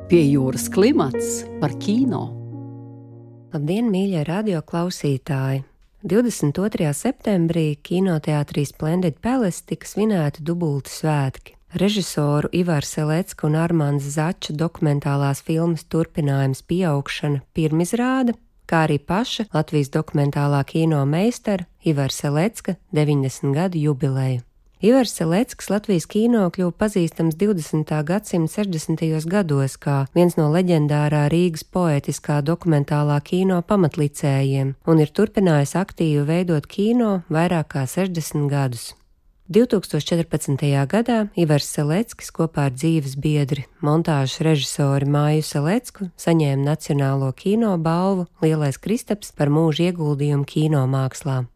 Pie jūras klimats par kino. Labdien, mīļie radioklausītāji! 22. septembrī kinoteātrī Splendid Palace tika svinēti dubulti svētki. Režisoru Ivaru Selecka un Armanda Zača dokumentālās filmas turpinājums Pieaugšana pirmizrāde, kā arī paša Latvijas dokumentālā kino meistara Ivara Selecka 90 gadu jubileju. Ivars Selecks Latvijas kino kļuva pazīstams 20. gadsimta 60. gados kā viens no leģendārā Rīgas poētiskā dokumentālā kino pamatlicējiem un ir turpinājis aktīvi veidot kino vairāk kā 60 gadus. 2014. gadā Ivars Selecks kopā ar dzīves biedri, montāžas režisori Māju Selecku saņēma Nacionālo kino balvu Lielais Kristaps par mūža ieguldījumu kino mākslā.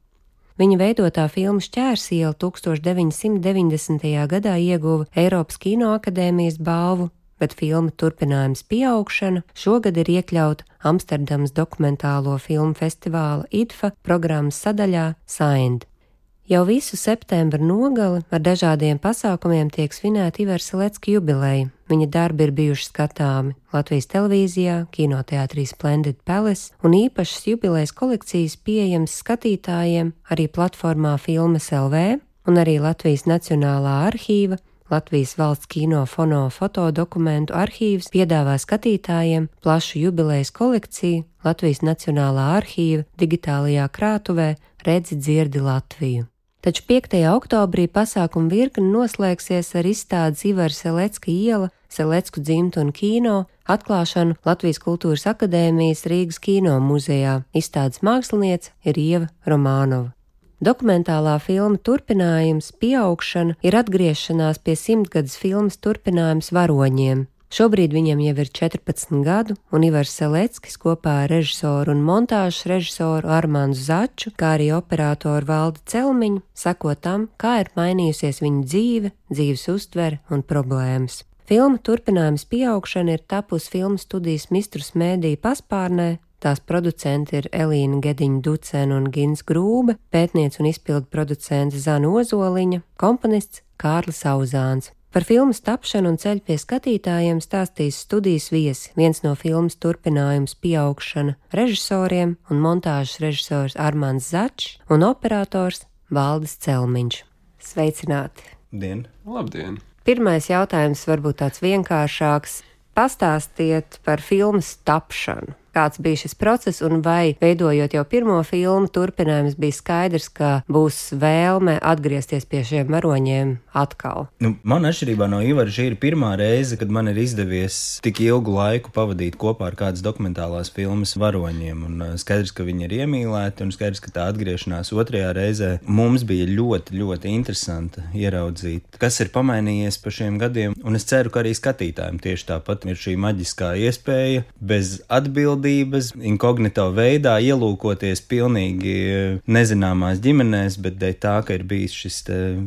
Viņa veidotā filma Šķērsiela 1990. gadā ieguva Eiropas Kinoakadēmijas balvu, bet filma turpinājums Pieaugšana šogad ir iekļauta Amsterdamas dokumentālo filmu festivāla IDFA programmas sadaļā Signed. Jau visu septembra nogali ar dažādiem pasākumiem tiek svinēta Ivara Selecka jubileja. Viņa darbi ir bijuši skatāmi Latvijas televīzijā, kinoteātrī Splendid Palace un īpašas jubilejas kolekcijas pieejamas skatītājiem arī platformā Filmas LV un arī Latvijas Nacionālā arhīva, Latvijas valsts kino fono fotodokumentu arhīvs piedāvā skatītājiem plašu jubilejas kolekciju Latvijas Nacionālā arhīva digitālajā krātuvē Redzi dzirdi Latviju. Taču 5. oktobrī pasākuma virkne noslēgsies ar izstādes Ivara Selecka iela, Selecku dzimtu un kino atklāšanu Latvijas Kultūras akadēmijas Rīgas kino muzejā. Izstādes māksliniece ir Ieva Romānova. Dokumentālā filma turpinājums Pieaugšana ir atgriešanās pie 100-gadas filmas turpinājums Varoņiem. Šobrīd viņam jau ir 14 gadu, un Ivars Selecks kopā ar režisoru un montāžas režisoru Armandu Začu, kā arī operatoru Valdi Celmiņu, seko tam, kā ir mainījusies viņa dzīve, dzīves uztvere un problēmas. Filma turpinājums Pieaugšana ir tapusi filmu studijas Mistrus Mēdī paspārnē. Tās producenti ir Elīna Gediņa-Ducena un Gins Grūbe, pētniece un izpildu producente Zana Ozoliņa, komponists Kārlis Auzāns. Par filmas tapšanu un ceļu pie skatītājiem stāstīs studijas viesi, viens no filmas turpinājums Pieaugšana režisoriem un montāžas režisors Armands Začs un operators Valdis Celmiņš. Sveicināti! Dien! Labdien! Pirmais jautājums varbūt tāds vienkāršāks. Pastāstiet par filmas tapšanu. Kāds bija šis process un vai, veidojot jau pirmo filmu, turpinājums bija skaidrs, ka būs vēlme atgriezties pie šiem varoņiem atkal? Man atšķirībā no Ivara šī ir pirmā reize, kad man ir izdevies tik ilgu laiku pavadīt kopā ar kādas dokumentālās filmas varoņiem. Un skaidrs, ka viņi ir iemīlēti un skaidrs, ka tā atgriešanās otrajā reizē mums bija ļoti, ļoti interesanta ieraudzīt, kas ir pamainījies pa šiem gadiem. Un es ceru, ka arī skatītājiem tieši tāpat ir šī maģiskā iespēja bez atbildības, inkognito veidā ielūkoties pilnīgi nezināmās ģimenēs, bet dēļ tā, ka ir bijis šis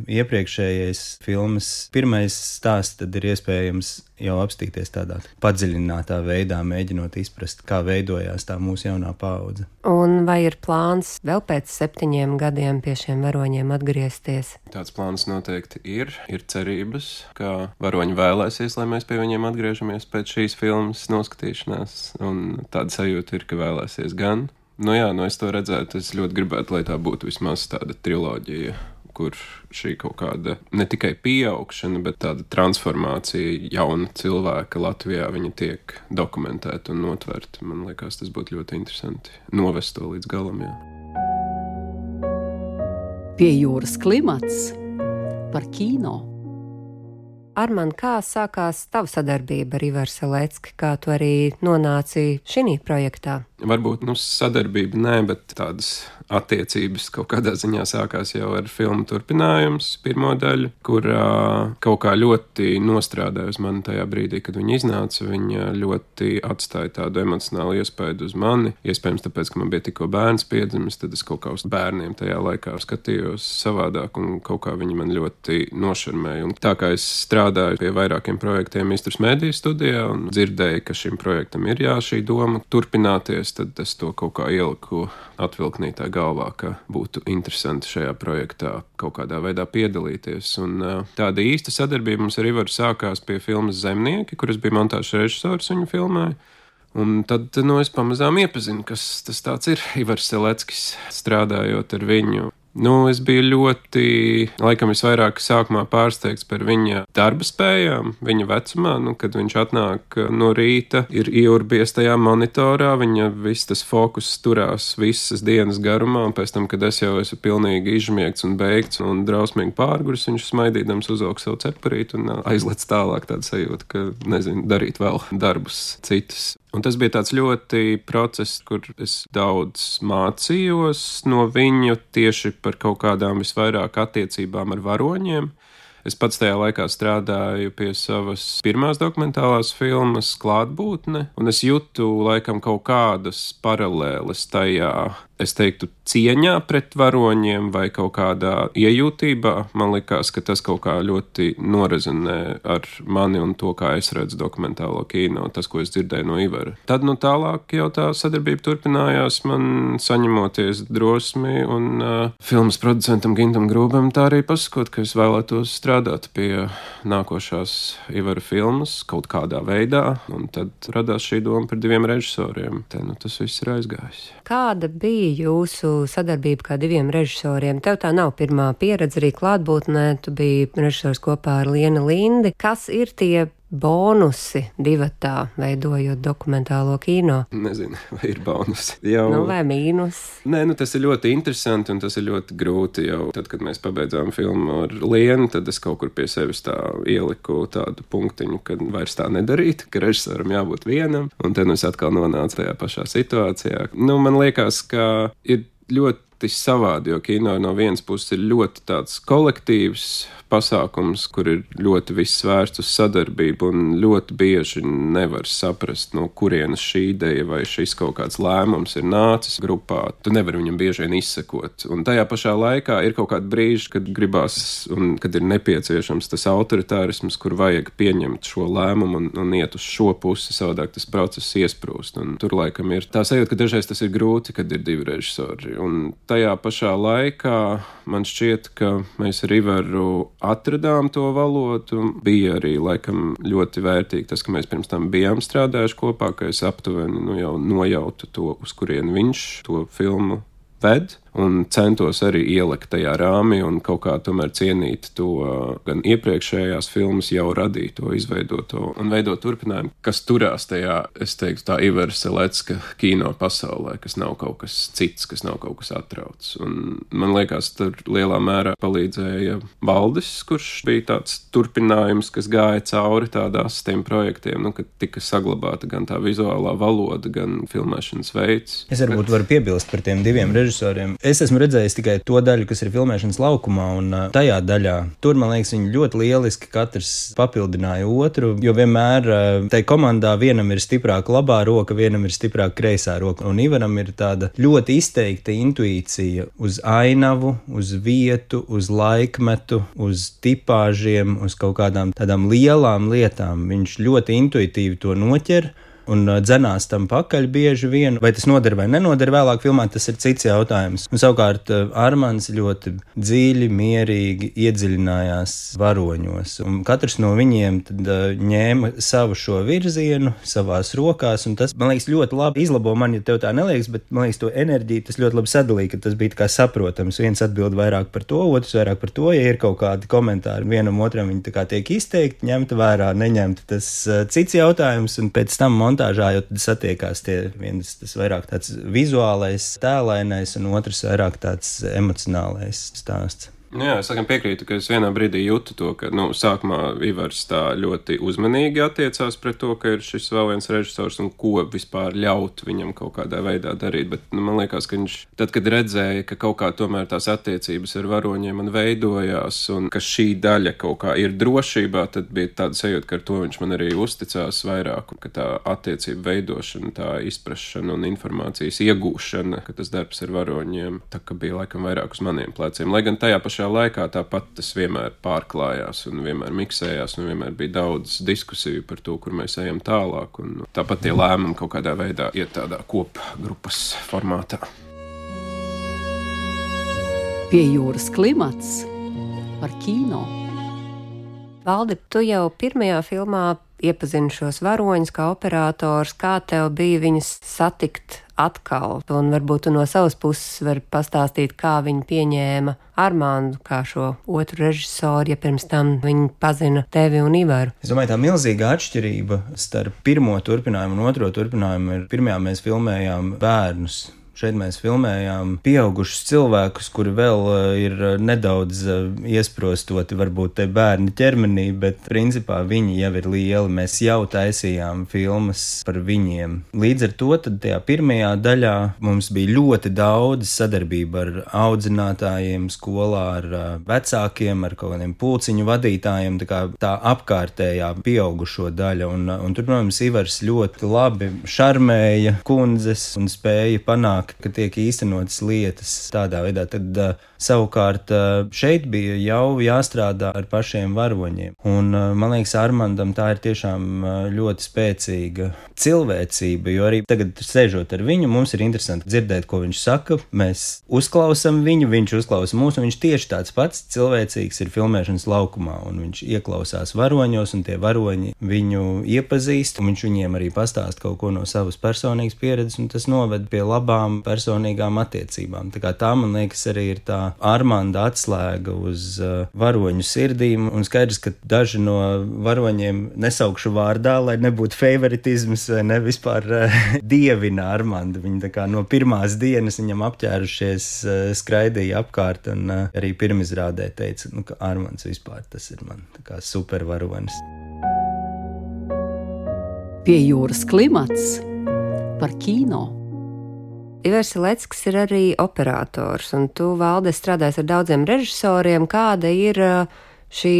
iepriekšējais filmas pirmais stāsts, tad ir iespējams jau apstīties tādā padziļinātā veidā, mēģinot izprast, kā veidojās tā mūsu jaunā paudze. Un vai ir plāns vēl pēc 7 gadiem pie šiem varoņiem atgriezties? Tāds plāns noteikti ir cerības, ka varoņi vēlēsies, lai mēs pie viņiem atgriežamies pēc šīs filmas noskatīšanās, un tāda sajūta ir, ka vēlēsies gan. Es to redzētu, es ļoti gribētu, lai tā būtu vismaz tāda triloģija, kur šī kaut kāda ne tikai pieaugšana, bet tāda transformācija jauna cilvēka Latvijā, viņa tiek dokumentēta un notverta. Man liekas, tas būtu ļoti interesanti novest to līdz galam, jā. Pie jūras klimats par kino. Armand, kā sākās tava sadarbība ar Ivaru Selecku, kā tu arī nonāci šī projektā? Varbūt sadarbība nē, bet tādas attiecības kaut kādā ziņā sākās jau ar filmu turpinājums, pirmo daļu, kur kaut kā ļoti nostrādāja uz mani tajā brīdī, kad viņa iznāca. Viņa ļoti atstāja tādu emocionālu iespaidu uz mani. Iespējams, tāpēc, ka man bija tikko bērns piedzimis, tad es kaut kā uz bērniem tajā laikā skatījos savādāk, un kaut kā viņi man ļoti nošarmēja. Un tā kā es strādāju pie vairākiem projektiem Mistrus Mēdī studijā un dzirdēju, ka šim projektam ir šī doma turpināties, sadarbojoties, tad es to kaut kā ieliku atvilknītā galvā, ka būtu interesanti šajā projektā kaut kādā veidā piedalīties. Un tāda īsta sadarbība mums ar Ivaru sākās pie filmas Zemnieki, kuras bija montāžas režisors viņu filmai. Un tad es pamazām iepazinu, kas tas tāds ir Ivars Seleckis, strādājot ar viņu. Es biju ļoti, laikam visvairāk sākumā pārsteigts par viņa darba spējām, viņa vecumā, kad viņš atnāk no rīta, ir ieurbies tajā monitorā, viņa viss tas fokus turās visas dienas garumā, un pēc tam, kad es jau esmu pilnīgi izžmiegts un beigts un drausmīgi pārguris, viņš smaidīdams uzvelk savu cepurīti un aizlec tālāk tādu sajūtu, ka, darīt vēl darbus citus. Un tas bija tāds ļoti process, kur es daudz mācījos no viņu tieši par kaut kādām visvairāk attiecībām ar varoņiem. Es pats tajā laikā strādāju pie savas pirmās dokumentālās filmas Klātbūtne, un es jūtu laikam kaut kādas paralēles tajā, es teiktu, cieņā pret varoņiem vai kaut kādā iejūtībā. Man likās, ka tas kaut kā ļoti norezonē ar mani un to, kā es redzu dokumentālo kino, tas, ko es dzirdēju no Ivara. Tad tālāk jau tā sadarbība turpinājās, man saņemoties drosmi, un filmas producentam Gintam Grūbam tā arī pasakot, ka es vēlētos strādāt pie nākošās Ivara filmas kaut kādā veidā, un tad radās šī doma par 2 režisoriem. Te tas viss ir aizgājis. Kāda bija jūsu sadarbība kā 2 režisoriem? Tev tā nav pirmā pieredze arī Klātbūtnē, tu biji režisors kopā ar Lienu Lindi. Kas ir tie bonusi divatā, veidojot dokumentālo kino? Nezinu, vai ir bonusi. Vai mīnus? Nē, tas ir ļoti interesanti un tas ir ļoti grūti jau. Tad, kad mēs pabeidzām filmu ar Lienu, tad es kaut kur pie sevis tā ieliku tādu punktiņu, ka vairs tā nedarīt, ka režisoram jābūt vienam, un tad es atkal nonācu tajā pašā situācijā. Man liekas, ka ir ļoti savādi, jo kino no vienas puses ir ļoti tāds kolektīvs pasākums, kur ir ļoti viss vērsts uz sadarbību un ļoti bieži nevar saprast, no kurienes šī ideja vai šis kaut kāds lēmums ir nācis grupā. Tu nevari viņam bieži vien izsekot. Un tajā pašā laikā ir kaut kādi brīži, kad gribās un kad ir nepieciešams tas autoritārisms, kur vajag pieņemt šo lēmumu un iet uz šo pusi, savādāk tas process iesprūst. Un tur laikam ir tā sajūta, ka dažreiz tas ir grūti, kad ir 2 režisori. Un tajā pašā laikā man šķiet, ka mēs ar Ivaru atradām to valodu. Bija arī laikam ļoti vērtīgi tas, ka mēs pirms tam bijām strādājuši kopā, ka es aptuveni jau nojautu to, uz kurien viņš to filmu ved. Un centos arī ielikt tajā rāmī un kaut kā tomēr cienīt to gan iepriekšējās filmas jau radīto, izveidoto un veidot turpinājumu, kas turās tajā, es teiktu, tā Ivara Selecka kino pasaulē, kas nav kaut kas cits, kas nav kaut kas atrauts. Un man liekas, tur lielā mērā palīdzēja Valdis, kurš bija tāds turpinājums, kas gāja cauri tādās tiem projektiem, ka tika saglabāta gan tā vizuālā valoda, gan filmēšanas veids. Es varbūt varu piebilst par tiem 2 režisoriem. Es esmu redzējis tikai to daļu, kas ir filmēšanas laukumā, un tajā daļā tur, man liekas, viņi ļoti lieliski katrs papildināja otru, jo vienmēr tai komandā vienam ir stiprāka labā roka, vienam ir stiprāka kreisā roka, un Ivaram ir tāda ļoti izteikta intuīcija uz ainavu, uz vietu, uz laikmetu, uz tipāžiem, uz kaut kādām tādām lielām lietām. Viņš ļoti intuitīvi to noķer un dzenās tam pakaļ bieži vien. Vai tas noder vai nenoder vēlāk filmā, tas ir cits jautājums. Un savukārt Armands ļoti dziļi, mierīgi iedziļinājās varoņos. Un katrs no viņiem tad ņēma savu šo virzienu savās rokās, un tas, man liekas, ļoti labi izlabo man, ja tev tā neliekas, bet man liekas, to enerģiju tas ļoti labi sadalīja, ka tas bija kā saprotams. Viens atbild vairāk par to, otrs vairāk par to, ja ir kaut kādi komentāri vienam otram, viņi tā kā tiek izteikti, ņemta vērā, neņemta, tas cits jautājums, un pēc tam montāžā jau tad satiekās viens tas vairāk tāds vizuālais, tēlainais, un otrs vairāk tāds emocionālais stāsts. Jā, es piekrītu, ka es vienā brīdī jūtu to, ka sākumā Ivars tā ļoti uzmanīgi attiecās pret to, ka ir šis vēl viens režisors un ko vispār ļaut viņam kaut kādā veidā darīt, bet man liekas, ka viņš tad, kad redzēja, ka kaut kā tomēr tās attiecības ar varoņiem man veidojās un ka šī daļa kaut kā ir drošībā, tad bija tāda sajūta, ka ar to viņš man arī uzticās vairāk, un ka tā attiecība veidošana, tā izprašana un informācijas iegūšana, ka tas darbs ar varoņiem tā kā bija laikam vairāk uz maniem pleciem, lai gan tajā pašā pašā laikā tāpat tas vienmēr pārklājās un vienmēr miksējās un vienmēr bija daudz diskusiju par to, kur mēs ejam tālāk. Un tāpat tie lēmumi kaut kādā veidā iet tādā kopgrupas formātā. Pie jūras klimats par kino. Valdi, tu jau pirmajā filmā iepazini šos varoņus kā operators. Kā tev bija viņus satikt atkal? Un varbūt tu no savas puses vari pastāstīt, kā viņi pieņēma Armandu kā šo otru režisoru, ja pirms tam viņi pazina tevi un Ivaru. Es domāju, tā milzīga atšķirība starp pirmo turpinājumu un otro turpinājumu ir, pirmajā mēs filmējām bērnus. Šeit mēs filmējām pieaugušus cilvēkus, kuri vēl ir nedaudz iesprostoti, varbūt te bērni ķermenī, bet principā viņi jau ir lieli. Mēs jau taisījām filmas par viņiem. Līdz ar to tad tajā pirmajā daļā mums bija ļoti daudz sadarbība ar audzinātājiem skolā, ar vecākiem, ar kaut kādiem pulciņu vadītājiem, tā apkārtējā pieaugušo daļa. Un tur, protams, Ivars ļoti labi šarmēja kundzes un spēja panākt, ka tiek īstenotas lietas tādā veidā. Tad savukārt šeit bija jau jāstrādā ar pašiem varoņiem. Un man liekas, Armandam tā ir tiešām ļoti spēcīga cilvēcība, jo arī tagad sēžot ar viņu, mums ir interesanti dzirdēt, ko viņš saka. Mēs uzklausam viņu, viņš uzklausa mūs, un viņš tieši tāds pats cilvēcīgs ir filmēšanas laukumā, un viņš ieklausās varoņos, un tie varoņi viņu iepazīst, un viņš viņiem arī pastāst kaut ko no savas personīgas pieredzes, un tas noved pie labām personīgām attiecībām. Tā, man liekas, arī ir tā Armanda atslēga uz varoņu sirdīm, un skaidrs, ka daži no varoņiem nesaukšu vārdā, lai nebūtu favoritisms vai ne vispār dievina Armandu. Viņi no pirmās dienas viņam apķērušies, skraidīja apkārt, un arī pirmizrādē teica, ka Armands vispār tas ir man super varonis. Pie jūras klimats par kino. Ivars Seleckis ir arī operators, un tu, Valde, strādājies ar daudziem režisoriem. Kāda ir šī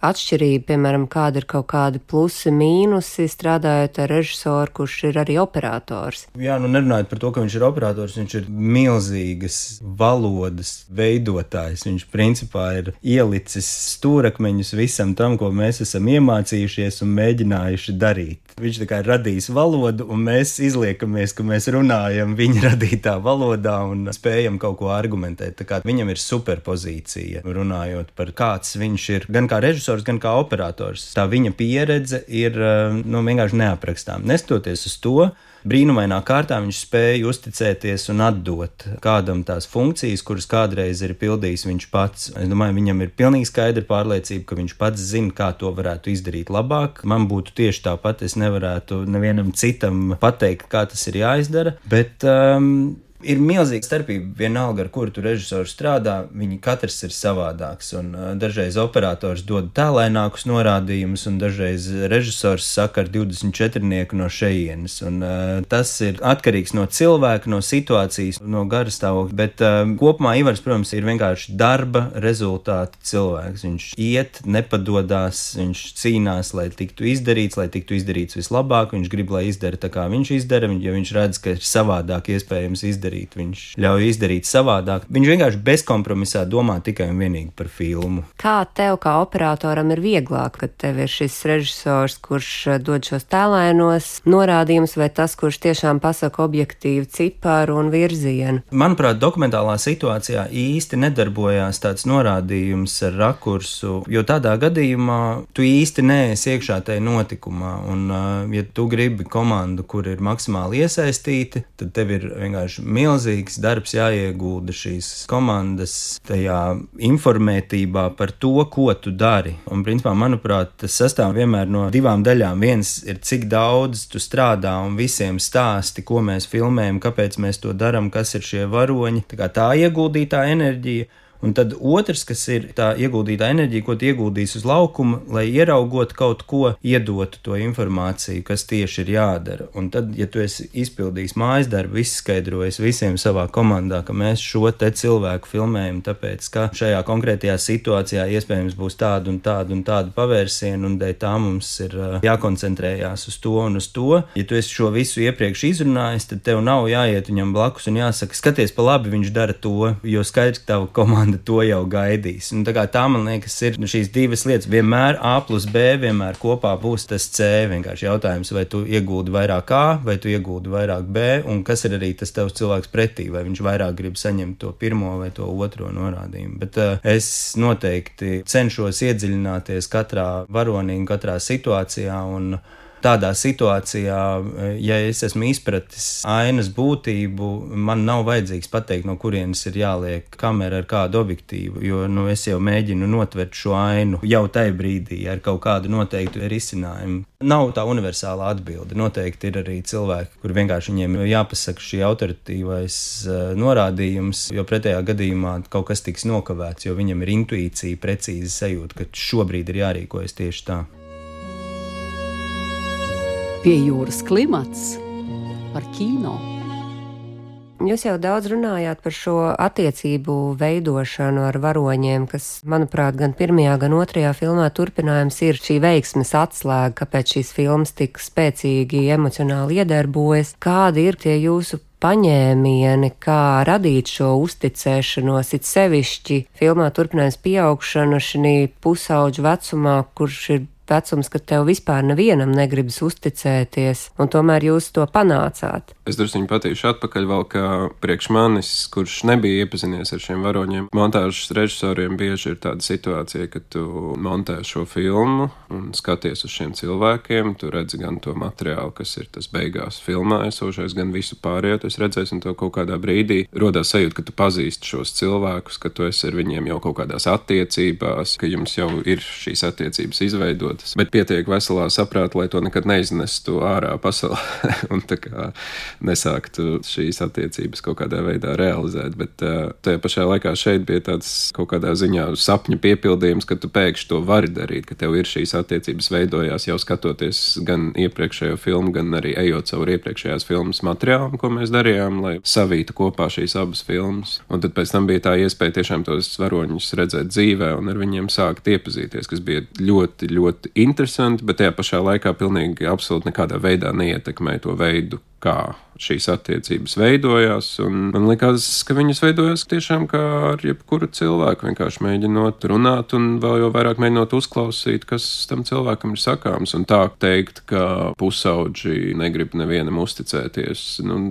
atšķirība, piemēram, kāda ir kaut kādi plusi, mīnusi strādājot ar režisoru, kurš ir arī operators? Jā, nerunājot par to, ka viņš ir operators, viņš ir milzīgas valodas veidotājs. Viņš principā ir ielicis stūrakmeņus visam tam, ko mēs esam iemācījušies un mēģinājuši darīt. Viņš ir radījis valodu, un mēs izliekamies, ka mēs runājam viņa radītā valodā un spējam kaut ko argumentēt. Viņam ir superpozīcija, runājot par kāds viņš ir, gan kā režisors, gan kā operators. Tā viņa pieredze ir vienkārši neaprakstām. Neskatoties uz to, brīnumainā kārtā viņš spēja uzticēties un atdot kādam tās funkcijas, kuras kādreiz ir pildījis viņš pats. Es domāju, viņam ir pilnīgi skaidra pārliecība, ka viņš pats zina, kā to varētu izdarīt labāk. Man būtu tieši tāpat, es nevarētu nevienam citam pateikt, kā tas ir jāizdara, bet ir milzīga starpība vienalga, ar kuru tu režisoru strādā, viņi katrs ir savādāks, un dažreiz operators dod tālainākus norādījumus, un dažreiz režisors saka ar 24-nieku no šejienes, un tas ir atkarīgs no cilvēka, no situācijas, no garastāvokļa, bet kopumā Ivars, protams, ir vienkārši darba rezultāta cilvēks. Viņš iet, nepadodās, viņš cīnās, lai tiktu izdarīts vislabāk, viņš grib, lai izdara tā, kā viņš izdara, ja viņš redz, ka ir savādāk iespējams izdarīt, viņš ļauj izdarīt savādāk. Viņš vienkārši bezkompromisā domā tikai un vienīgi par filmu. Kā tev, kā operatoram, ir vieglāk, kad tev ir šis režisors, kurš dod šos tēlainos norādījumus, vai tas, kurš tiešām pasaka objektīvu ciparu un virzienu? Manuprāt, dokumentālā situācijā īsti nedarbojās tāds norādījums ar rakursu, jo tādā gadījumā tu īsti neesi iekšā tajā notikumā, un ja tu gribi komandu, kur ir maksimāli iesaistīti, tad tev ir vienkārši milzīgs darbs jāiegulda šīs komandas tajā informētībā par to, ko tu dari. Un, principā, manuprāt, tas sastāv vienmēr no divām daļām. Viens ir, cik daudz tu strādā un visiem stāsti, ko mēs filmējam, kāpēc mēs to daram, kas ir šie varoņi. Tā ieguldītā enerģija. Un tad otrs, kas ir tā ieguldītā enerģija, ko tu ieguldīsi uz laukuma, lai ieraugot kaut ko, iedotu to informāciju, kas tieši ir jādara. Un tad, ja tu esi izpildījis mājas darbu, izskaidrojis visiem savā komandā, ka mēs šo te cilvēku filmējam, tāpēc, ka šajā konkrētajā situācijā iespējams būs tāda un tāda pavērsiena, un dēļ tā mums ir jākoncentrējās uz to un uz to. Ja tu esi šo visu iepriekš izrunājis, tad tev nav jāiet viņam blakus un jāsaka, skaties pa labi, viņš dara to, jo skaidrs, ka tava komanda komanda to jau gaidīs. Un tā man liekas, ir šīs divas lietas. Vienmēr A plus B, vienmēr kopā būs tas C. Vienkārši jautājums, vai tu iegūdi vairāk A, vai tu iegūdi vairāk B, un kas ir arī tas tavs cilvēks pretī, vai viņš vairāk grib saņemt to pirmo vai to otro norādījumu. Bet es noteikti cenšos iedziļināties katrā varonī un katrā situācijā, un tādā situācijā, ja es esmu izpratis ainas būtību, man nav vajadzīgs pateikt, no kurienes ir jāliek kamera ar kādu objektīvu, jo es jau mēģinu notvert šo ainu jau tajā brīdī ar kaut kādu noteiktu risinājumu. Nav tā universāla atbilde. Noteikti ir arī cilvēki, kur vienkārši viņiem jāpasaka šī autoritīvais norādījums, jo pretējā gadījumā kaut kas tiks nokavēts, jo viņam ir intuīcija, precīzi sajūta, ka šobrīd ir jārīkojas tieši tā. Pie jūras klimats par kino. Jūs jau daudz runājāt par šo attiecību veidošanu ar varoņiem, kas, manuprāt, gan pirmajā, gan otrajā filmā turpinājums ir šī veiksmes atslēga, kāpēc šīs filmas tik spēcīgi emocionāli iedarbojas. Kādi ir tie jūsu paņēmieni, kā radīt šo uzticēšanos, it sevišķi filmā turpinājums pieaugšanu šī pusauģu vecumā, kurš ir vecums, kad tev vispār nevienam negribas uzticēties, un tomēr jūs to panācāt. Es druskuņi patīšu atpakaļ vēl, ka priekš manis, kurš nebija iepazinies ar šiem varoņiem, montāžas režisoriem bieži ir tāda situācija, ka tu montē šo filmu un skaties uz šiem cilvēkiem, tu redzi gan to materiālu, kas ir tas beigās filmā esošais, gan visu pārējo, tu redzēsi, un to kaut kādā brīdī rodās sajūta, ka tu pazīsti šos cilvēkus, ka tu esi ar viņiem jau kaut kādās attiecībās, ka jums jau ir šīs attiecības izveidotas, bet pietiek veselā saprāta, lai to nekad neiznestu ārā pasaulē un tā kā nesāktu šīs attiecības kaut kādā veidā realizēt, bet tajā pašā laikā šeit bija tāds kaut kādā ziņā sapņu piepildījums, ka tu pēkšņi to vari darīt, ka tev ir šīs attiecības veidojās jau skatoties gan iepriekšējo filmu, gan arī ejot cauri iepriekšējās filmas materiālam, ko mēs darījām, lai savītu kopā šīs abas filmas. Un tad pēc tam bija tā iespēja tiešām tos varoņus redzēt dzīvē un ar viņiem sākt iepazīties, kas bija ļoti, ļoti interesanti, bet tajā pašā laikā pilnīgi absolūti nekādā veidā neietekmēja to veidu, kā šīs attiecības veidojās, un man likās, ka viņas veidojās tiešām kā ar jebkuru cilvēku, vienkārši mēģinot runāt un vēl jau vairāk mēģinot uzklausīt, kas tam cilvēkam ir sakāms, un tā teikt, ka pusauģi negrib nevienam uzticēties,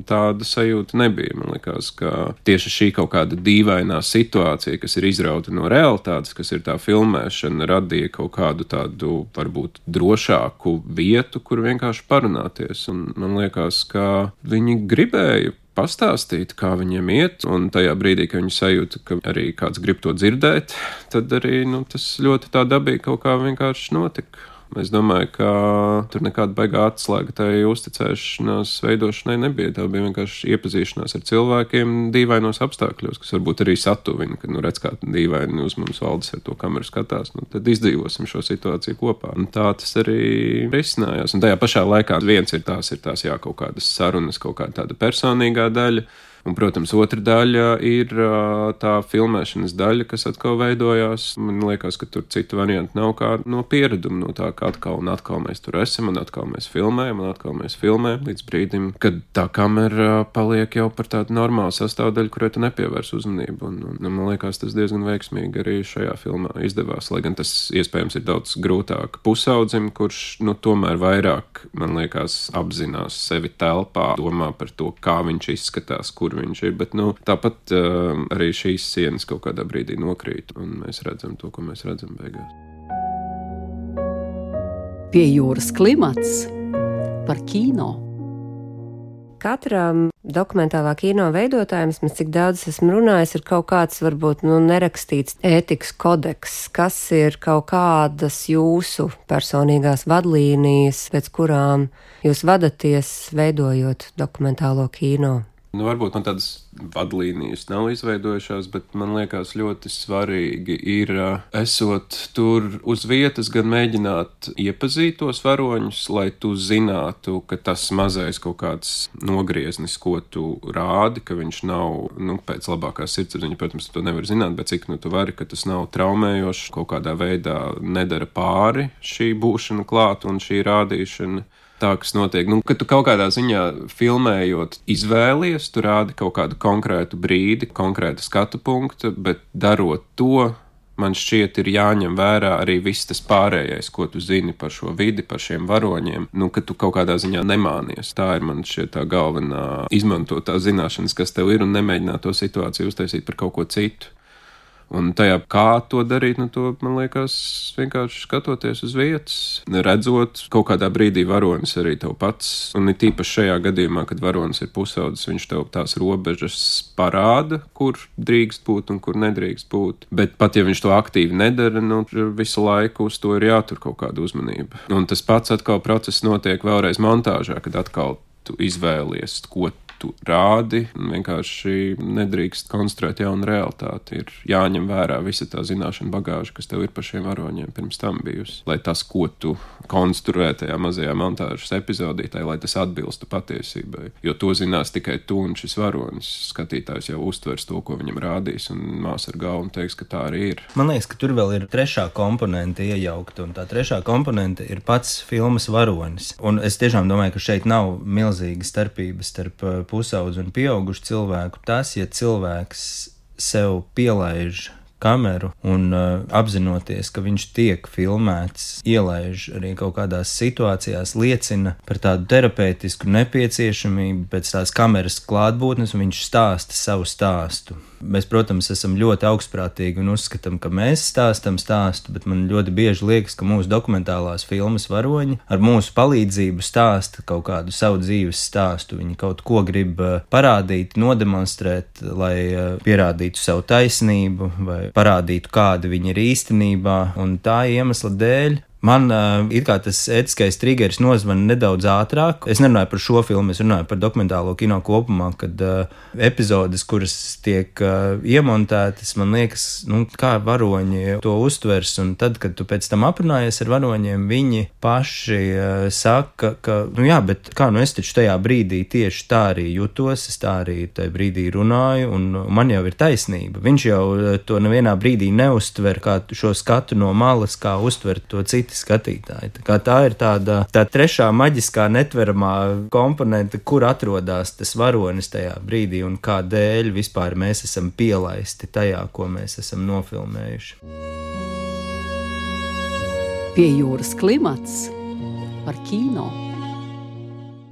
tāda sajūta nebija. Man likās, ka tieši šī kaut kāda dīvainā situācija, kas ir izrauta no realitātes, kas ir tā filmēšana, radīja kaut kādu tādu, varbūt, drošāku vietu, kur vienkārši parunāties, un man liekas, ka viņi gribēja pastāstīt, kā viņiem iet, un tajā brīdī, kad viņi sajūta, ka arī kāds grib to dzirdēt, tad arī tas ļoti tā dabīgi kaut kā vienkārši notika. Es domāju, ka tur nekāda baigā atslēga tai uzticēšanās veidošanai nebija. Tā bija vienkārši iepazīšanās ar cilvēkiem dīvainos apstākļos, kas varbūt arī satuvina, kad redz, kā dīvaini uz mums valdes ar to kameru skatās, tad izdzīvosim šo situāciju kopā. Un tā tas arī risinājās. Un tajā pašā laikā viens ir tās jā, kaut kādas sarunas, kaut kāda tāda personīgā daļa. Un, protams, otra daļa ir tā filmēšanas daļa, kas atkal veidojās. Man liekas, ka tur citu variantu nav kā no piereduma, no tā, ka atkal un atkal mēs tur esam, un atkal mēs filmējam, līdz brīdim, kad tā kamera paliek jau par tādu normālu sastāvdaļu, kurai tu nepievērs uzmanību. Un man liekas, tas diezgan veiksmīgi arī šajā filmā izdevās, lai gan tas iespējams ir daudz grūtāk pusaudzim, kurš tomēr vairāk, man liekas, apzinās sevi telpā, domā par to, kā viņš izskatās, kur viņš ir, bet tāpat arī šīs sienas kaut kādā brīdī nokrīt, un mēs redzam to, ko mēs redzam beigās. Pie jūras klimats par kino. Katram dokumentālā kino veidotājiem, cik daudz esmu runājis, ir kaut kāds varbūt nerakstīts ētikas kodeks, kas ir kaut kādas jūsu personīgās vadlīnijas, pēc kurām jūs vadaties, veidojot dokumentālo kino. Varbūt man tādas vadlīnijas nav izveidojušās, bet man liekas ļoti svarīgi ir, esot tur uz vietas, gan mēģināt iepazīt tos varoņus, lai tu zinātu, ka tas mazais kaut kāds nogrieznis, ko tu rādi, ka viņš nav, pēc labākās sirdsapziņas, protams, tu to nevar zināt, bet cik tu vari, ka tas nav traumējošs, kaut kādā veidā nedara pāri šī būšana klāt un šī rādīšana. tā, kas notiek. Nu, kad tu kaut kādā ziņā filmējot izvēlies, tu rādi kaut kādu konkrētu brīdi, konkrētu skatu punktu, bet darot to, man šķiet, ir jāņem vērā arī viss tas pārējais, ko tu zini par šo vidi, par šiem varoņiem, nu, ka tu kaut kādā ziņā nemānies. Tā ir man šķiet tā galvenā izmantotā zināšanas, kas tev ir, un nemēģināt to situāciju uztaisīt par kaut ko citu. Un tajā, kā to darīt, nu, to, man liekas, vienkārši skatoties uz vietas, redzot kaut kādā brīdī varonis arī tev pats, un ir tīpaši šajā gadījumā, kad varonis ir pusaudzis, viņš tev tās robežas parāda, kur drīkst būt un kur nedrīkst būt. Bet pat ja viņš to aktīvi nedara, nu, visu laiku uz to ir jātur kaut kāda uzmanība. Un tas pats atkal process notiek vēlreiz montāžā, kad atkal tu izvēlies, ko tu rādi, vienkārši nedrīkst konstruēt jaunu realitāti. Ir jāņem vērā visa tā zināšana bagāža, kas tev ir par šiem varoņiem pirms tam bijusi. Lai tas, ko tu konstruē tajā mazajā montāžas epizodītē, lai tas atbilstu patiesībai. Jo to zinās tikai tu un šis varonis. Skatītājs jau uztvers to, ko viņam rādīs, un mās ar galvu teiks, ka tā arī ir. Man liekas, ka tur vēl ir trešā komponente iejaukta, un tā trešā komponente ir pats filmas varonis. Un es tiešām domāju, ka šeit nav milzīga starpība starp pusaudzi un pieaugušu cilvēku. Tas, ja cilvēks sev pielaiž kameru un apzinoties, ka viņš tiek filmēts, ielaiž arī kaut kādās situācijās, liecina par tādu terapeitisku nepieciešamību pēc tās kameras klātbūtnes, un viņš stāsta savu stāstu. Mēs, protams, esam ļoti augstprātīgi un uzskatām, ka mēs stāstam stāstu, bet man ļoti bieži liekas, ka mūsu dokumentālās filmas varoņi ar mūsu palīdzību stāsta kaut kādu savu dzīves stāstu. Viņi kaut ko grib parādīt, nodemonstrēt, lai pierādītu savu taisnību vai parādītu, kāda viņi ir īstenībā, un tā iemesla dēļ man it kā tas ētiskais trigeris nozvana nedaudz ātrāk. Es nerunāju par šo filmu, es runāju par dokumentālo kino kopumā, kad epizodes, kuras tiek iemontētas, man liekas, nu, kā varoņi to uztvers, un tad, kad tu pēc tam aprunājies ar varoņiem, viņi paši saka, ka, nu jā, bet kā, nu es taču tajā brīdī tieši tā arī jutos, es tā arī tajā brīdī runāju, un man jau ir taisnība. Viņš jau to nevienā brīdī neuztver kā šo skatu no malas, kā uztver to citi skatītāji. Tā ir tā trešā maģiskā netveramā komponente, kur atrodas tas varonis tajā brīdī un kādēļ vispār mēs esam pielaisti tajā, ko mēs esam nofilmējuši. Pie jūras klimats par kino.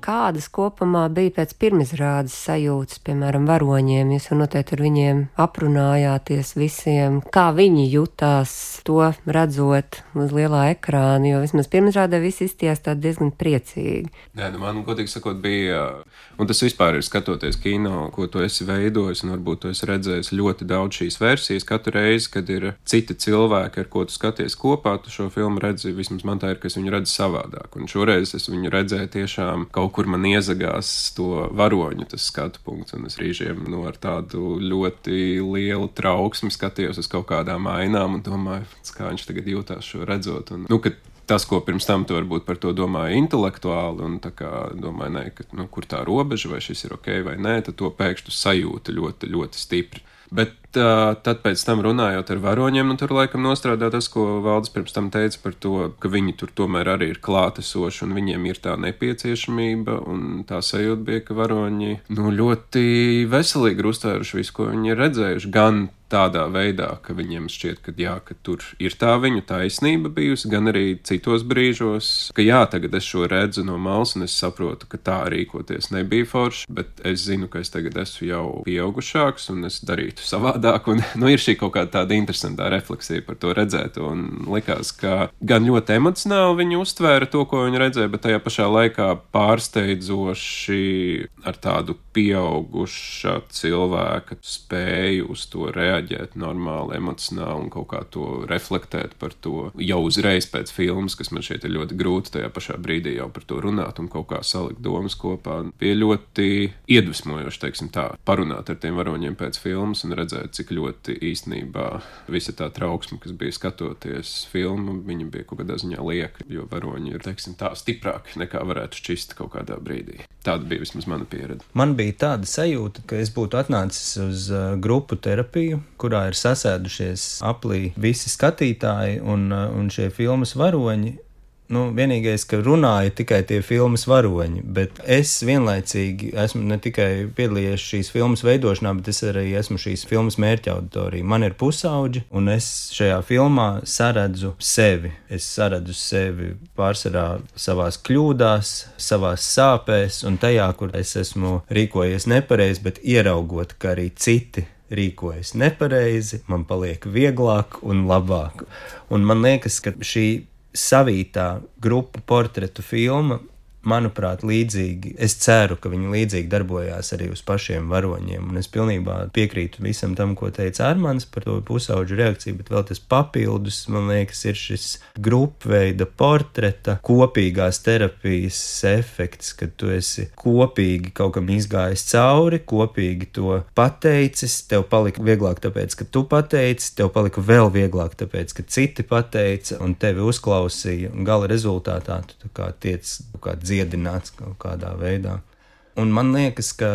Kādas kopumā bija pēc pirmizrādes sajūtas, piemēram, varoņiem? Jūs jau noteikti ar viņiem aprunājāties visiem, kā viņi jutās to redzot uz lielā ekrāna, jo vismaz pirmizrādē visi izstījās tā diezgan priecīgi. Nē, nu man, godīgi sakot, bija, un tas vispār ir skatoties kino, ko tu esi veidojis, un varbūt tu esi redzējis ļoti daudz šīs versijas. Katru reizi, kad ir citi cilvēki, ar ko tu skaties kopā, tu šo filmu redzi, vismaz man tā ir, ka es viņu redzu savādāk. Un šoreiz es viņu redzēju tiešām kaut kur man iezagās to varoņu tas skatu punkts, un es rīžiem ar tādu ļoti lielu trauksmi skatījos uz kaut kādām ainām un domāju, kā viņš tagad jūtās šo redzot. Un, ka tas, ko pirms tam tu varbūt par to domāju intelektuāli, un tā kā domāju, nē, ka, kur tā robeža, vai šis ir ok vai nē, tad to pēkšņi sajūta ļoti, ļoti stipri. Bet tad pēc tam runājot ar varoņiem, nu tur laikam nostrādā tas, ko Valdis pirms tam teica par to, ka viņi tur tomēr arī ir klātesoši un viņiem ir tā nepieciešamība, un tā sajūta bija, ka varoņi ļoti veselīgi uztvēruši visu, ko viņi ir redzējuši, gan tādā veidā, ka viņiem šķiet, ka jā, ka tur ir tā viņu taisnība bijusi, gan arī citos brīžos, ka jā, tagad es šo redzu no malas un es saprotu, ka tā rīkoties nebija forši, bet es zinu, ka es tagad esmu jau pieaugušāks un es darītu savādāk, un ir šī kaut kāda tāda interesantā refleksija par to redzēto, un likās, ka gan ļoti emocionāli viņi uztvēra to, ko viņi redzēja, bet tajā pašā laikā pārsteidzoši ar tādu pieauguša cilvēka spēju uz to reaģēt normāli, emocionāli un kaut kā to reflektēt par to jau uzreiz pēc filmas, kas man šeit ir ļoti grūti tajā pašā brīdī jau par to runāt un kaut kā salikt domas kopā. Bija ļoti iedvesmojoši, teiksim tā, parunāt ar tiem varoņiem pēc filmas un redzēt, cik ļoti īstenībā visa tā trauksme, kas bija skatoties filmu, viņa bija kaut kādā ziņā lieka, jo varoņi ir, teiksim tā, stiprāki nekā varētu šķist kaut kādā brīdī. Tāda bija vismaz mana pieredze. Man bija tāda sajūta, ka es būtu atnācis uz grupu terapiju, kurā ir sasēdušies aplī visi skatītāji un šie filmas varoņi. vienīgais, ka runāja tikai tie filmas varoņi, bet es vienlaicīgi esmu ne tikai piedalījies šīs filmas veidošanā, bet es arī esmu šīs filmas mērķa auditorija. Man ir pusauģi, un es šajā filmā saredzu sevi. Es saredzu sevi pārsvarā savās kļūdās, savās sāpēs un tajā, kur es esmu rīkojies nepareizi, bet ieraugot, ka arī citi rīkojas nepareizi, man paliek vieglāk un labāk. Un man liekas, ka šī savītā grupu portretu filma, manuprāt, līdzīgi, es ceru, ka viņi līdzīgi darbojās arī uz pašiem varoņiem, un es pilnībā piekrītu visam tam, ko teica Armands par to pusauģu reakciju, bet vēl tas papildus, man liekas, ir šis grupveida portreta kopīgās terapijas efekts, kad tu esi kopīgi kaut kam izgājis cauri, kopīgi to pateicis, tev palika vieglāk tāpēc, ka tu pateici, tev palika vēl vieglāk tāpēc, ka citi pateica un tevi uzklausīja, un gala rezultātā tu tā kā tiec dziedināts kaut kādā veidā. Un man liekas, ka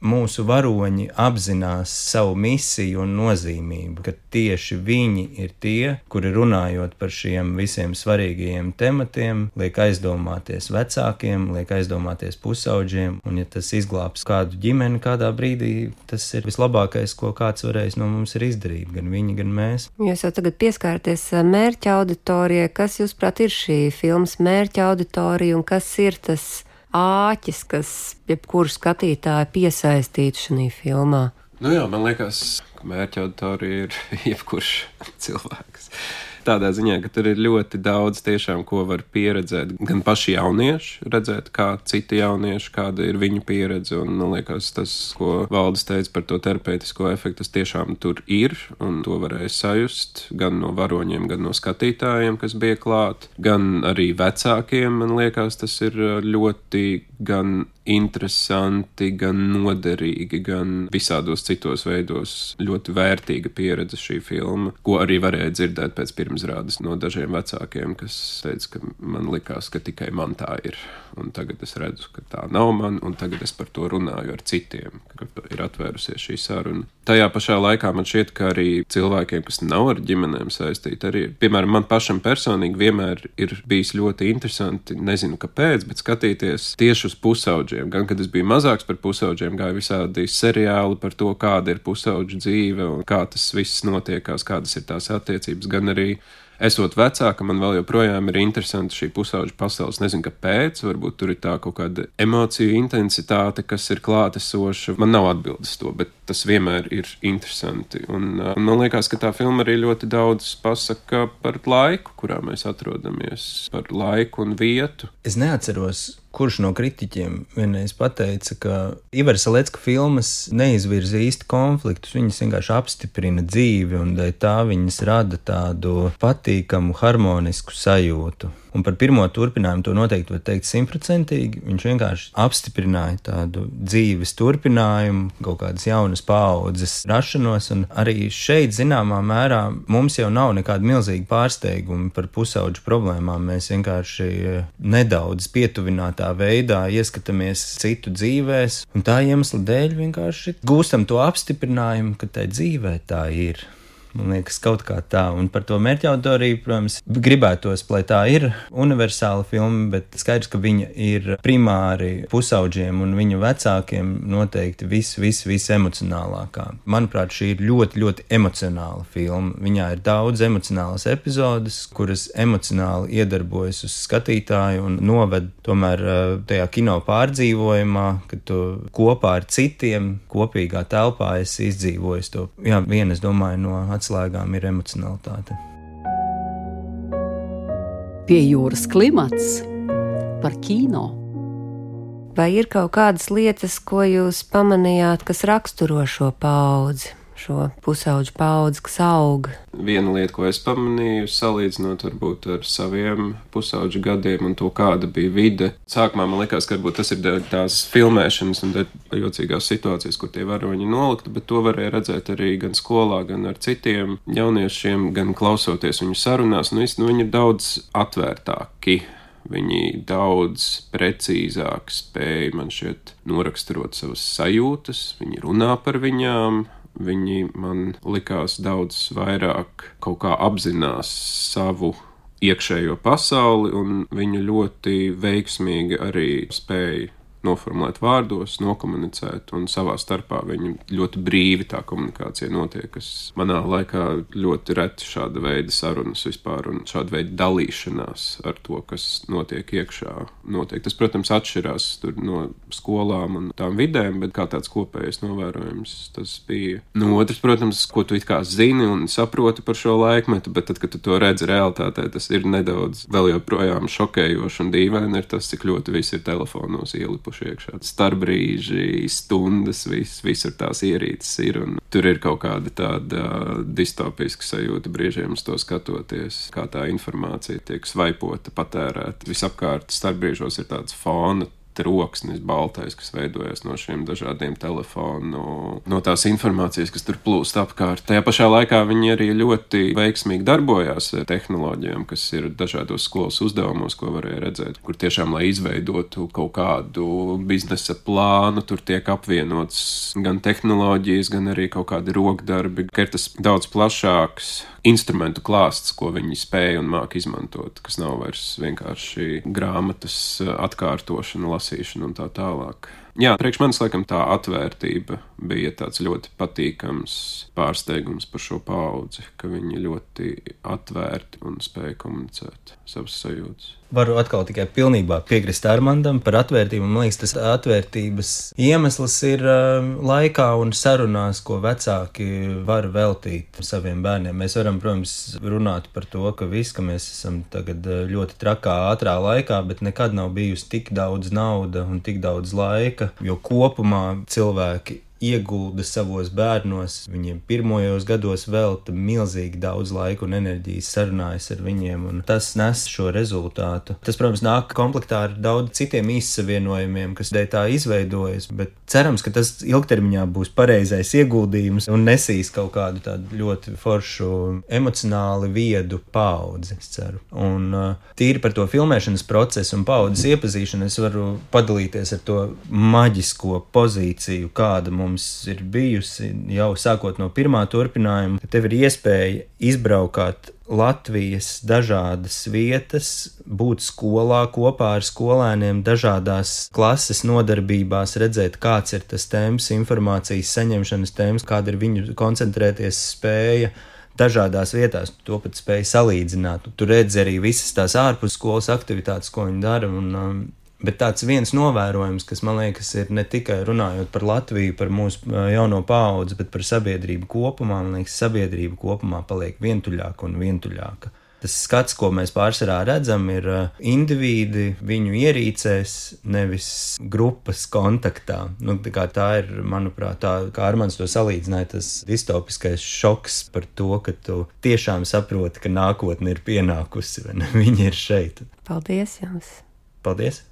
mūsu varoņi apzinās savu misiju un nozīmību, ka tieši viņi ir tie, kuri runājot par šiem visiem svarīgajiem tematiem, liek aizdomāties vecākiem, liek aizdomāties pusauģiem, un ja tas izglābs kādu ģimeni kādā brīdī, tas ir vislabākais, ko kāds varēs no mums ir izdarīt, gan viņi, gan mēs. Jūs jau tagad pieskārties mērķa auditorijai. Kas, jūsuprāt, ir šī filmas mērķa auditorija un kas ir tas āķis, kas jebkuru skatītāju piesaistītu šajā filmā? Man liekas, ka mērķa auditorija ir jebkurš cilvēks. Tādā ziņā, ka tur ir ļoti daudz tiešām, ko var pieredzēt. Gan paši jaunieši, redzēt, kā citi jaunieši, kāda ir viņu pieredze. Un, man liekas, tas, ko Valdis teica par to terapeitisko efektu, tas tiešām tur ir. Un to varēja sajust gan no varoņiem, gan no skatītājiem, kas bija klāt. Gan arī vecākiem, man liekas, tas ir ļoti gan interesanti, gan noderīgi, gan visādos citos veidos ļoti vērtīga pieredze šī filma, ko arī varēja dzirdēt pēc pirmizrādes no dažiem vecākiem, kas teica, ka man likās, ka tikai man tā ir. Un tagad es redzu, ka tā nav man, un tagad es par to runāju ar citiem, ka ir atvērusies šī saruna. Tajā pašā laikā man šķiet, ka arī cilvēkiem, kas nav ar ģimenēm saistīti, arī, piemēram, man pašam personīgi vienmēr ir bijis ļoti interesanti, nezinu kāpēc, bet skatīties tieši uz pusauģiem. Gan, kad es biju mazāks par pusauģiem, gāju visādi seriāli par to, kāda ir pusauģu dzīve un kā tas viss notiekās, kādas ir tās attiecības, gan arī esot vecāka, man vēl joprojām ir interesanti šī pusauģu pasaules. Nezinu, kāpēc, varbūt tur ir tā kaut kāda emociju intensitāte, kas ir klātesoša. Man nav atbildes to, bet tas vienmēr ir interesanti. Un man liekas, ka tā filma arī ļoti daudz pasaka par laiku, kurā mēs atrodamies, par laiku un vietu. Es neatceros, kurš no kritiķiem vienreiz pateica, ka Ivara Salecka filmas neizvirza īsti konfliktus, viņas vienkārši apstiprina dzīvi un dēļ tā viņas rada tādu patīkamu, harmonisku sajūtu. Un par pirmo turpinājumu to noteikti var teikt 100%. Viņš vienkārši apstiprināja tādu dzīves turpinājumu, kaut kādas jaunas paaudzes rašanos, un arī šeit zināmā mērā mums jau nav nekāda milzīga pārsteiguma par pusauģu problēmām. Mēs vienkārši nedaudz pietuvinātā veidā ieskatāmies citu dzīvēs, un tā iemesla dēļ vienkārši gūstam to apstiprinājumu, ka tai dzīvē tā ir. Man liekas, kaut kā tā. Un par to mērķa auditoriju, protams, gribētos, lai tā ir universāla filma, bet skaidrs, ka viņa ir primāri pusauģiem un viņu vecākiem noteikti visemocionālākā. Manuprāt, šī ir ļoti, ļoti emocionāla filma. Viņā ir daudz emocionālas epizodes, kuras emocionāli iedarbojas uz skatītāju un noved tomēr tajā kino pārdzīvojumā, kad tu kopā ar citiem kopīgā telpā esi izdzīvojis to. Jā, viena, es domāju, no atslēgām ir emocionalitāte. Pie jūras klimats par kino. Vai ir kaut kādas lietas, ko jūs pamanījāt, kas raksturo šo paudzi, šo pusauģu paudzi, kas aug? Viena lieta, ko es pamanīju, salīdzinot varbūt ar saviem pusauģu gadiem un to, kāda bija vide. Sākumā man likās, ka varbūt tas ir tās filmēšanas un jocīgās situācijas, kur tie varoņi nolikti, bet to varēja redzēt arī gan skolā, gan ar citiem jauniešiem, gan klausoties viņu sarunās. Viņi ir daudz atvērtāki. Viņi daudz precīzāk spēja, man šķiet, noraksturot savas sajūtas, viņi runā par viņām. Viņi man likās daudz vairāk kaut kā apzinās savu iekšējo pasauli, un viņi ļoti veiksmīgi arī spēja noformulēt vārdos, nokomunicēt, un savā starpā viņi ļoti brīvi tā komunikācija notiek, kas manā laikā ļoti reti šāda veida sarunas vispār, un šāda veida dalīšanās ar to, kas notiek iekšā. Tas, protams, atšķirās tur no skolām un tām vidēm, bet kā tāds kopējais novērojums tas bija. No otrs, protams, ko tu it kā zini un saproti par šo laikmetu, bet tad, kad tu to redzi realitātē, tas ir nedaudz vēl joprojām šokējoši un dīvaini ir tas, cik ļoti viss ir telefonos ielipuši iekšā. Starbrīži, stundas, visur tās ierīces ir, un tur ir kaut kāda tāda distopiska sajūta brīžiem uz to skatoties, kā tā informācija tiek svaipota, patērēta. Visapkārt starbrīžos ir tāds fona troksnis baltais, kas veidojas no šiem dažādiem telefonu, no tās informācijas, kas tur plūst apkārt. Tajā pašā laikā viņi arī ļoti veiksmīgi darbojās tehnoloģijām, kas ir dažādos skolas uzdevumos, ko varēja redzēt, kur tiešām, lai izveidotu kaut kādu biznesa plānu, tur tiek apvienots gan tehnoloģijas, gan arī kaut kādi rokdarbi, ka ir tas daudz plašāks instrumentu klāsts, ko viņi spēja un māk izmantot, kas nav vairs vienkārši grāmatas atkārtošana, lasīšana un tā tālāk. Jā, priekš manis laikam tā atvērtība bija tāds ļoti patīkams pārsteigums par šo paudzi, ka viņi ļoti atvērti un spēja komunicēt savas sajūtas. Varu atkal tikai pilnībā piekrist Armandam par atvērtību. Man liekas, tas atvērtības iemesls ir laikā un sarunās, ko vecāki var veltīt saviem bērniem. Mēs varam, protams, runāt par to, ka mēs esam tagad ļoti trakā, ātrā laikā, bet nekad nav bijusi tik daudz nauda un tik daudz laika, jo kopumā cilvēki iegulda savos bērnos, viņiem pirmajos gados velta milzīgi daudz laika un enerģijas, sarunājas ar viņiem, un tas nes šo rezultātu. Tas, protams, nāk komplektā ar daudz citiem izsavienojumiem, kas dēļ tā izveidojas, bet cerams, ka tas ilgtermiņā būs pareizais ieguldījums un nesīs kaut kādu tādu ļoti foršu, emocionāli viedu paudzi, es ceru. Un tīri par to filmēšanas procesu un paudzes iepazīšanu es varu padalīties ar to maģisko pozīciju, kāda mums ir bijusi jau sākot no pirmā turpinājuma, ka tev ir iespēja izbraukāt Latvijas dažādas vietas, būt skolā kopā ar skolēniem, dažādās klases nodarbībās, redzēt, kāds ir tas temps, informācijas saņemšanas temps, kāda ir viņu koncentrēties spēja dažādās vietās, to pat spēja salīdzināt. Tu redzi arī visas tās ārpus skolas aktivitātes, ko viņi dara, bet tāds viens novērojums, kas man liekas ir ne tikai runājot par Latviju, par mūsu jauno paudzi, bet par sabiedrību kopumā, man liekas, sabiedrība kopumā paliek vientuļāka un vientuļāka. Tas skats, ko mēs pārsvarā redzam, ir indivīdi viņu ierīcēs, nevis grupas kontaktā. Tā ir, manuprāt, tā kā Armands to salīdzināja, tas distopiskais šoks par to, ka tu tiešām saproti, ka nākotne ir pienākusi, vai ne? Viņi ir šeit. Paldies jums! Paldies!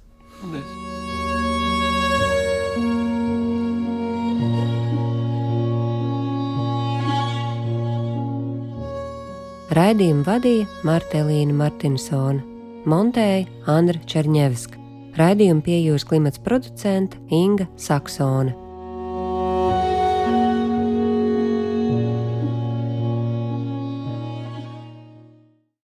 Raidījumu vadīja Martelīna Martinsone, montēja Andra Čerņevska, raidījumu Pie jūras klimats producente Inga Saksone.